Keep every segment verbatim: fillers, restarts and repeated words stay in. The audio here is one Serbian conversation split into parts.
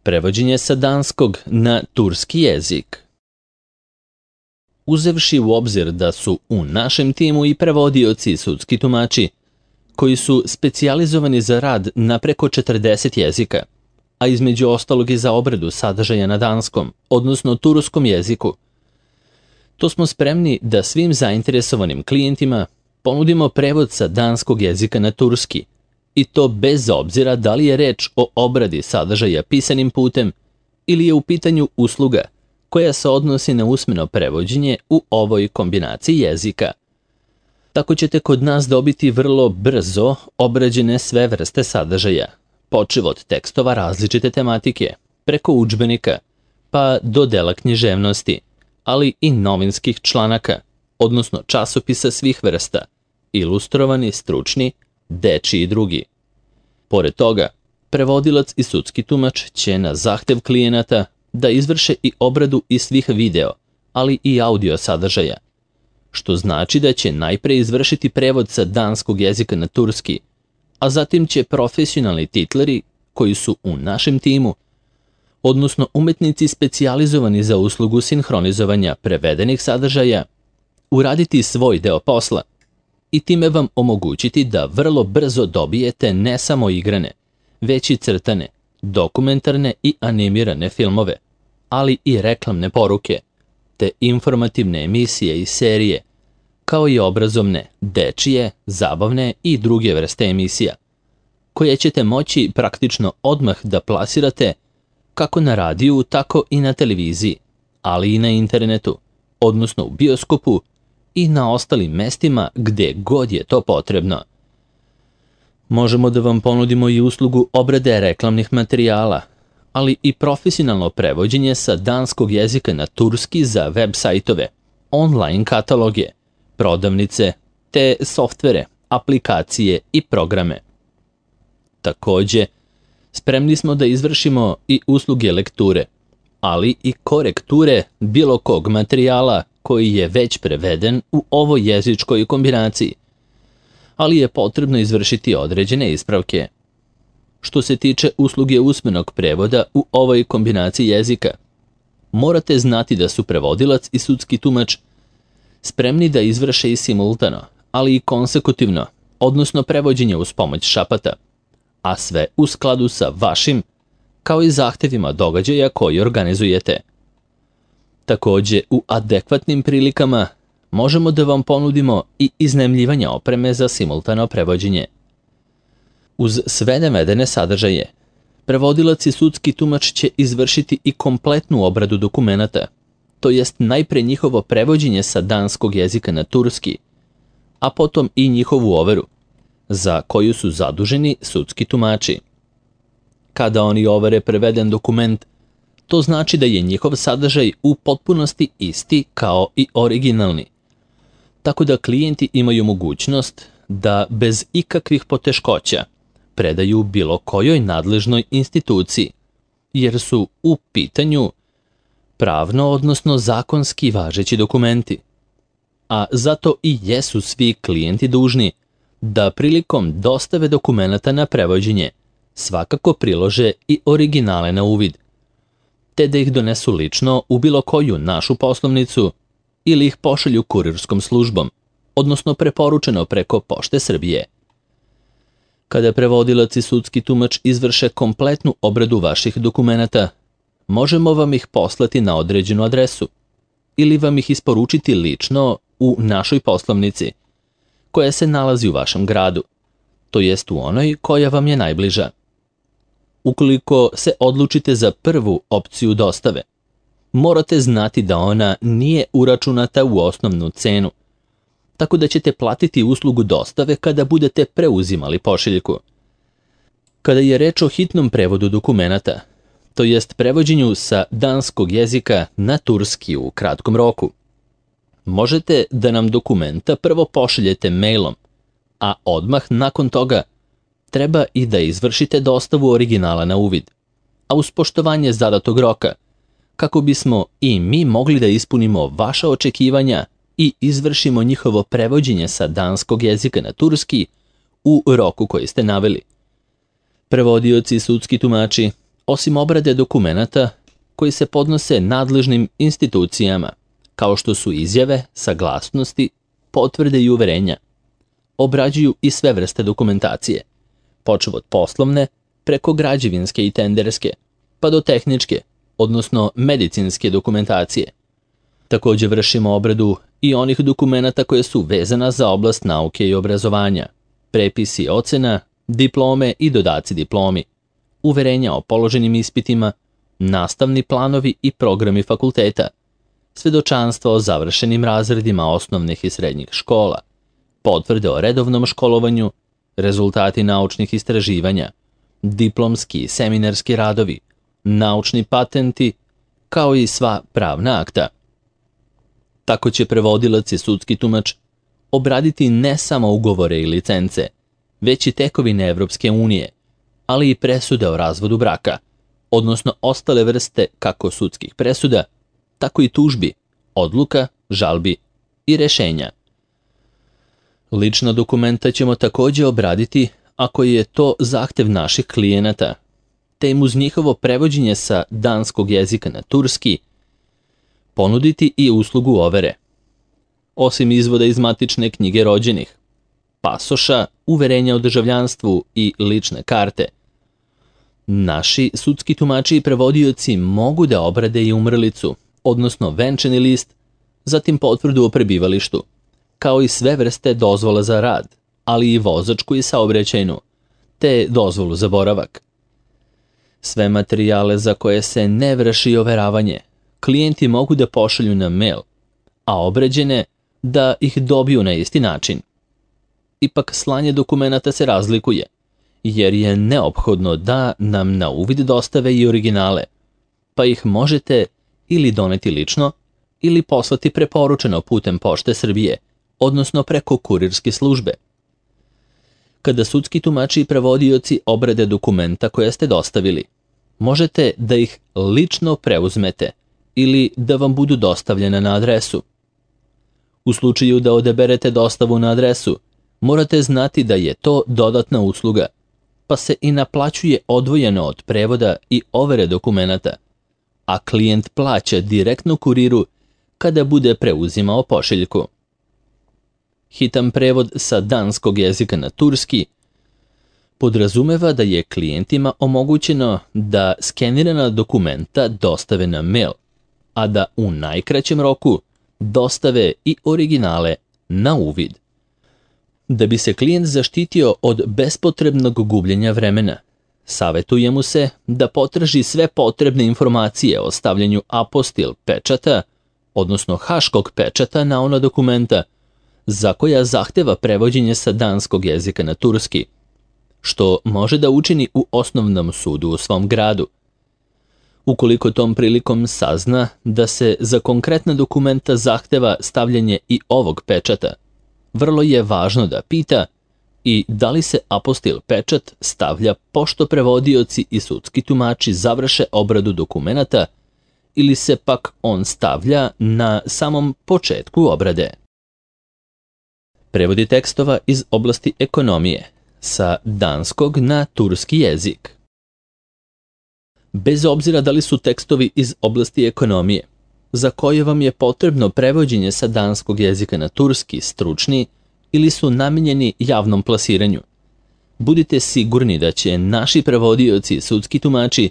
Prevođenje sa danskog na turski jezik. Uzevši u obzir da su u našem timu i prevodioci i sudski tumači, koji su specijalizovani za rad na preko četrdeset jezika, a između ostalog i za obradu sadržaja na danskom, odnosno turskom jeziku, to smo spremni da svim zainteresovanim klijentima ponudimo prevod sa danskog jezika na turski, i to bez obzira da li je reč o obradi sadržaja pisanim putem ili je u pitanju usluga koja se odnosi na usmeno prevođenje u ovoj kombinaciji jezika. Tako ćete kod nas dobiti vrlo brzo obrađene sve vrste sadržaja, počev od tekstova različite tematike, preko udžbenika, pa do dela književnosti, ali i novinskih članaka, odnosno časopisa svih vrsta, ilustrovani, stručni, dečiji i drugi. Pored toga, prevodilac i sudski tumač će na zahtev klijenata da izvrše i obradu i svih video, ali i audio sadržaja, što znači da će najpre izvršiti prevod sa danskog jezika na turski, a zatim će profesionalni titleri koji su u našem timu, odnosno umetnici specijalizovani za uslugu sinhronizovanja prevedenih sadržaja, uraditi svoj deo posla i time vam omogućiti da vrlo brzo dobijete ne samo igrane, već i crtane, dokumentarne i animirane filmove, ali i reklamne poruke, te informativne emisije i serije, kao i obrazovne, dečije, zabavne i druge vrste emisija, koje ćete moći praktično odmah da plasirate kako na radiju, tako i na televiziji, ali i na internetu, odnosno u bioskopu i na ostalim mestima gde god je to potrebno. Možemo da vam ponudimo i uslugu obrade reklamnih materijala, ali i profesionalno prevođenje sa danskog jezika na turski za web sajtove, online kataloge, prodavnice, te softvere, aplikacije i programe. Takođe, spremni smo da izvršimo i usluge lekture, ali i korekture bilo kog materijala koji je već preveden u ovoj jezičkoj kombinaciji, ali je potrebno izvršiti određene ispravke. Što se tiče usluge usmenog prevoda u ovoj kombinaciji jezika, morate znati da su prevodilac i sudski tumač spremni da izvrše i simultano, ali i konsekutivno, odnosno prevođenje uz pomoć šapata, a sve u skladu sa vašim, kao i zahtevima događaja koji organizujete. Takođe, u adekvatnim prilikama možemo da vam ponudimo i iznajmljivanje opreme za simultano prevođenje. Uz sve navedene sadržaje, prevodilac i sudski tumač će izvršiti i kompletnu obradu dokumenata, to jest najpre njihovo prevođenje sa danskog jezika na turski, a potom i njihovu overu, za koju su zaduženi sudski tumači. Kada oni overe preveden dokument, to znači da je njihov sadržaj u potpunosti isti kao i originalni, tako da klijenti imaju mogućnost da bez ikakvih poteškoća predaju bilo kojoj nadležnoj instituciji, jer su u pitanju pravno, odnosno zakonski važeći dokumenti. A zato i jesu svi klijenti dužni da prilikom dostave dokumenata na prevođenje svakako prilože i originale na uvid, te da ih donesu lično u bilo koju našu poslovnicu ili ih pošalju kurirskom službom, odnosno preporučeno preko Pošte Srbije. Kada prevodilac i sudski tumač izvrše kompletnu obradu vaših dokumenata, možemo vam ih poslati na određenu adresu ili vam ih isporučiti lično u našoj poslovnici, koja se nalazi u vašem gradu, to jest u onoj koja vam je najbliža. Ukoliko se odlučite za prvu opciju dostave, morate znati da ona nije uračunata u osnovnu cenu, tako da ćete platiti uslugu dostave kada budete preuzimali pošiljku. Kada je reč o hitnom prevodu dokumenata, to jest prevođenju sa danskog jezika na turski u kratkom roku, možete da nam dokumenta prvo pošaljete mailom, a odmah nakon toga treba i da izvršite dostavu originala na uvid, a uz poštovanje zadatog roka, kako bismo i mi mogli da ispunimo vaša očekivanja i izvršimo njihovo prevođenje sa danskog jezika na turski u roku koji ste naveli. Prevodioci i sudski tumači, Osim obrade dokumenata koji se podnose nadležnim institucijama, kao što su izjave, saglasnosti, potvrde i uverenja, obrađuju i sve vrste dokumentacije, počev od poslovne, preko građevinske i tenderske, pa do tehničke, odnosno medicinske dokumentacije. Također vršimo obradu i onih dokumenata koje su vezana za oblast nauke i obrazovanja, prepisi ocena, diplome i dodaci diplomi, uverenja o položenim ispitima, nastavni planovi i programi fakulteta, svedočanstva o završenim razredima osnovnih i srednjih škola, potvrde o redovnom školovanju, rezultati naučnih istraživanja, diplomski i seminarski radovi, naučni patenti, kao i sva pravna akta. Tako će prevodilac i sudski tumač obraditi ne samo ugovore i licence, već i tekovine Evropske unije, ali i presude o razvodu braka, odnosno ostale vrste kako sudskih presuda, tako i tužbi, odluka, žalbi i rešenja. Lična dokumenta ćemo također obraditi ako je to zahtev naših klijenata, te im uz njihovo prevođenje sa danskog jezika na turski ponuditi i uslugu overe. Osim izvoda iz matične knjige rođenih, pasoša, uverenja o državljanstvu i lične karte, naši sudski tumači i prevodioci mogu da obrade i umrlicu, odnosno venčani list, zatim potvrdu o prebivalištu, kao i sve vrste dozvola za rad, ali i vozačku i saobraćajnu, te dozvolu za boravak. Sve materijale za koje se ne vrši overavanje, klijenti mogu da pošalju na mail, a obrađene da ih dobiju na isti način. Ipak slanje dokumenata se razlikuje, jer je neophodno da nam na uvid dostave i originale, pa ih možete ili doneti lično ili poslati preporučeno putem Pošte Srbije, odnosno preko kurirske službe. Kada sudski tumači i prevodioci obrade dokumenta koje ste dostavili, možete da ih lično preuzmete ili da vam budu dostavljene na adresu. U slučaju da odaberete dostavu na adresu, morate znati da je to dodatna usluga, pa se i naplaćuje odvojeno od prevoda i overe dokumenata, a klijent plaća direktno kuriru kada bude preuzimao pošiljku. Hitan prevod sa danskog jezika na turski podrazumeva da je klijentima omogućeno da skenirana dokumenta dostave na mail, a da u najkraćem roku dostave i originale na uvid. Da bi se klijent zaštitio od bespotrebnog gubljenja vremena, savjetuje mu se da potraži sve potrebne informacije o stavljanju apostil pečata, odnosno haškog pečata na ona dokumenta za koja zahteva prevođenje sa danskog jezika na turski, što može da učini u osnovnom sudu u svom gradu. Ukoliko tom prilikom sazna da se za konkretna dokumenta zahteva stavljanje i ovog pečata, vrlo je važno da pita i da li se apostil pečat stavlja pošto prevodioci i sudski tumači završe obradu dokumenata ili se pak on stavlja na samom početku obrade. Prevodi tekstova iz oblasti ekonomije sa danskog na turski jezik. Bez obzira da li su tekstovi iz oblasti ekonomije, za koje vam je potrebno prevođenje sa danskog jezika na turski stručni ili su namijenjeni javnom plasiranju, budite sigurni da će naši prevodioci i sudski tumači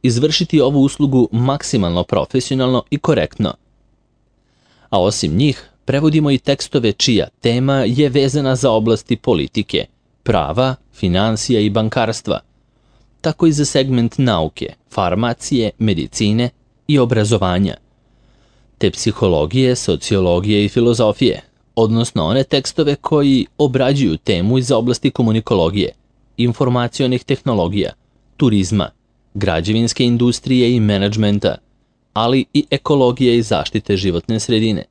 izvršiti ovu uslugu maksimalno profesionalno i korektno. A osim njih, prevodimo i tekstove čija tema je vezana za oblasti politike, prava, financija i bankarstva, tako i za segment nauke, farmacije, medicine i obrazovanja, te psihologije, sociologije i filozofije, odnosno one tekstove koji obrađuju temu iz oblasti komunikologije, informacionih tehnologija, turizma, građevinske industrije i menadžmenta, ali i ekologije i zaštite životne sredine,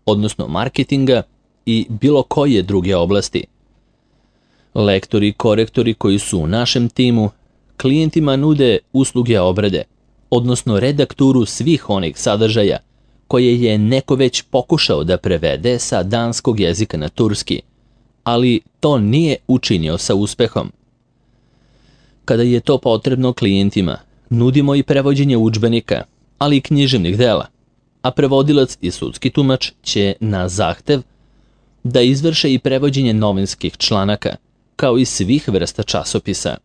odnosno marketinga i bilo koje druge oblasti. Lektori i korektori koji su u našem timu klijentima nude usluge obrade, odnosno redakturu svih onih sadržaja koje je neko već pokušao da prevede sa danskog jezika na turski, ali to nije učinio sa uspehom. Kada je to potrebno klijentima, Nudimo i prevođenje udžbenika, ali i književnih dela, a prevodilac i sudski tumač će na zahtev da izvrše i prevođenje novinskih članaka, kao i svih vrsta časopisa.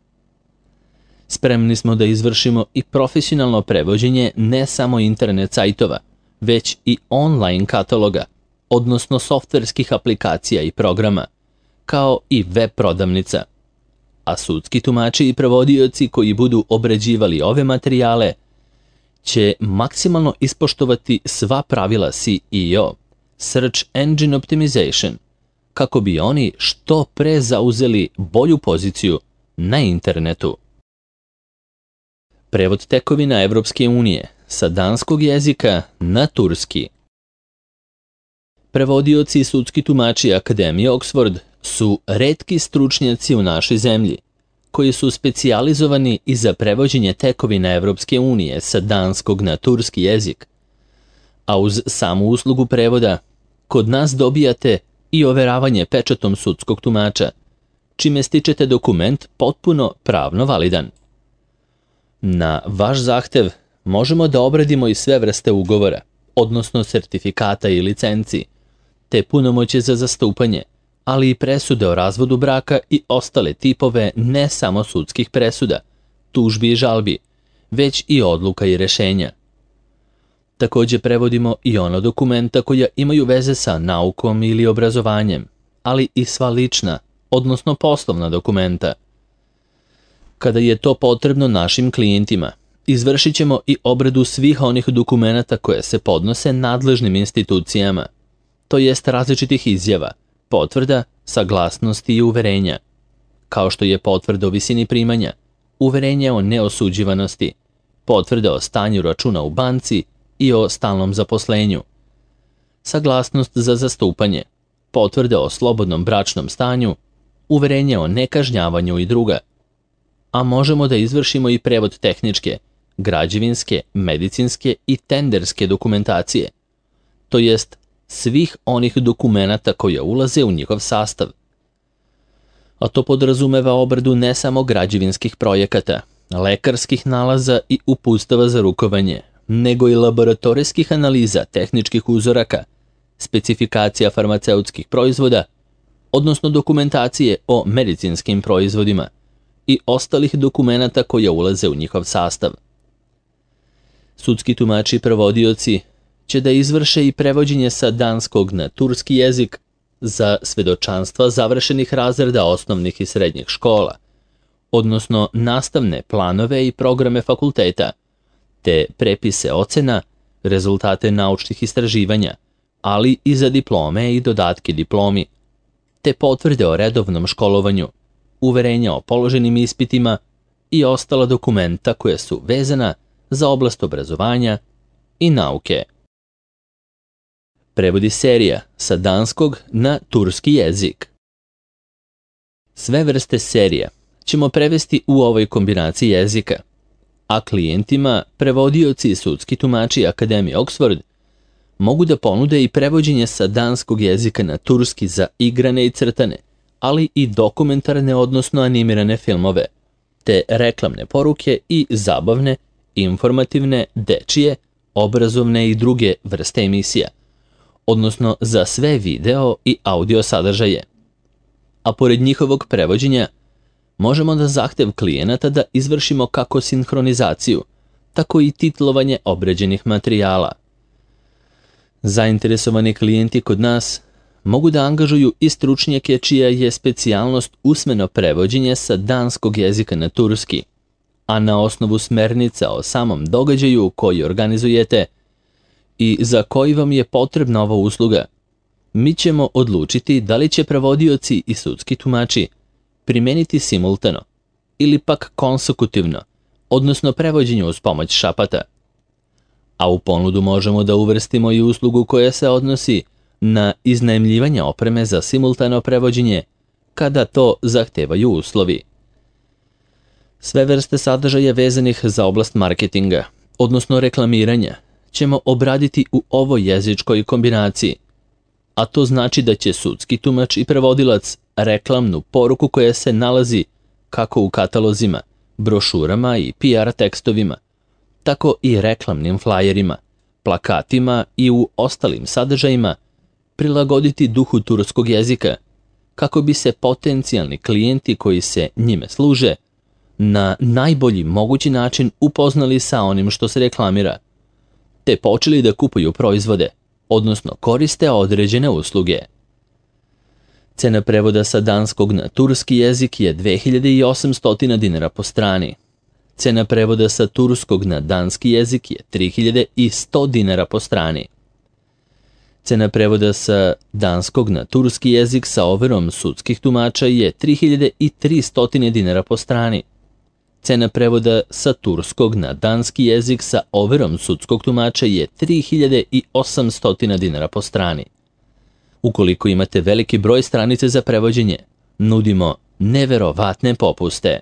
Spremni smo da izvršimo i profesionalno prevođenje ne samo internet sajtova, već i online kataloga, odnosno softverskih aplikacija i programa, kao i web prodavnica. A sudski tumači i prevodioci koji budu obrađivali ove materijale će maksimalno ispoštovati sva pravila S E O, Search Engine Optimization, kako bi oni što pre zauzeli bolju poziciju na internetu. Prevod tekovina Evropske unije sa danskog jezika na turski. Prevodioci i sudski tumači Akademije Oxford su retki stručnjaci u našoj zemlji, koji su specijalizovani i za prevođenje tekovina Evropske unije sa danskog na turski jezik. A uz samu uslugu prevoda, kod nas dobijate i overavanje pečatom sudskog tumača, čime stičete dokument potpuno pravno validan. Na vaš zahtev možemo da obradimo i sve vrste ugovora, odnosno sertifikata i licenci, te punomoće za zastupanje, ali i presude o razvodu braka i ostale tipove ne samo sudskih presuda, tužbi i žalbi, već i odluka i rešenja. Također prevodimo i ono dokumenta koja imaju veze sa naukom ili obrazovanjem, ali i sva lična, odnosno poslovna dokumenta. Kada je to potrebno našim klijentima, izvršit ćemo i obradu svih onih dokumenata koje se podnose nadležnim institucijama, to jest različitih izjava, potvrda, saglasnosti i uverenja, kao što je potvrda o visini primanja, uverenje o neosuđivanosti, potvrda o stanju računa u banci i o stalnom zaposlenju, saglasnost za zastupanje, potvrda o slobodnom bračnom stanju, uverenje o nekažnjavanju i druga, a možemo da izvršimo i prevod tehničke, građevinske, medicinske i tenderske dokumentacije, to jest svih onih dokumenata koja ulaze u njihov sastav. A to podrazumeva obradu ne samo građevinskih projekata, lekarskih nalaza i uputstava za rukovanje, nego i laboratorijskih analiza tehničkih uzoraka, specifikacija farmaceutskih proizvoda, odnosno dokumentacije o medicinskim proizvodima i ostalih dokumenata koja ulaze u njihov sastav. Sudski tumači i prevodioci će da izvrše i prevođenje sa danskog na turski jezik za svedočanstva završenih razreda osnovnih i srednjih škola, odnosno nastavne planove i programe fakulteta, te prepise ocena, rezultate naučnih istraživanja, ali i za diplome i dodatke diplomi, te potvrde o redovnom školovanju, uverenja o položenim ispitima i ostala dokumenta koja su vezana za oblast obrazovanja i nauke. Prevodi serija sa danskog na turski jezik. Sve vrste serija ćemo prevesti u ovoj kombinaciji jezika, a klijentima, prevodioci i sudski tumači Akademije Oxford mogu da ponude i prevođenje sa danskog jezika na turski za igrane i crtane, ali i dokumentarne odnosno animirane filmove, te reklamne poruke i zabavne, informativne, dečije, obrazovne i druge vrste emisija, odnosno za sve video i audio sadržaje. A pored njihovog prevođenja, možemo da zahtev klijenata da izvršimo kako sinhronizaciju, tako i titlovanje obrađenih materijala. Zainteresovani klijenti kod nas mogu da angažuju i stručnjake čija je specijalnost usmeno prevođenje sa danskog jezika na turski, a na osnovu smernica o samom događaju koji organizujete i za koji vam je potrebna ova usluga, mi ćemo odlučiti da li će prevodioci i sudski tumači primeniti simultano ili pak konsekutivno, odnosno prevođenje uz pomoć šapata. A u ponudu možemo da uvrstimo i uslugu koja se odnosi na iznajmljivanje opreme za simultano prevođenje kada to zahtevaju uslovi. Sve vrste sadržaja vezanih za oblast marketinga, odnosno reklamiranja, ćemo obraditi u ovoj jezičkoj kombinaciji, a to znači da će sudski tumač i prevodilac reklamnu poruku koja se nalazi kako u katalozima, brošurama i P R tekstovima, tako i reklamnim flajerima, plakatima i u ostalim sadržajima prilagoditi duhu turskog jezika, kako bi se potencijalni klijenti koji se njime služe na najbolji mogući način upoznali sa onim što se reklamira, te počeli da kupuju proizvode, odnosno koriste određene usluge. Cena prevoda sa danskog na turski jezik je dve hiljade osamsto dinara po strani. Cena prevoda sa turskog na danski jezik je tri hiljade sto dinara po strani. Cena prevoda sa danskog na turski jezik sa overom sudskih tumača je tri hiljade tristo dinara po strani. Cena prevoda sa turskog na danski jezik sa overom sudskog tumača je tri hiljade osamsto dinara po strani. Ukoliko imate veliki broj stranica za prevođenje, nudimo neverovatne popuste.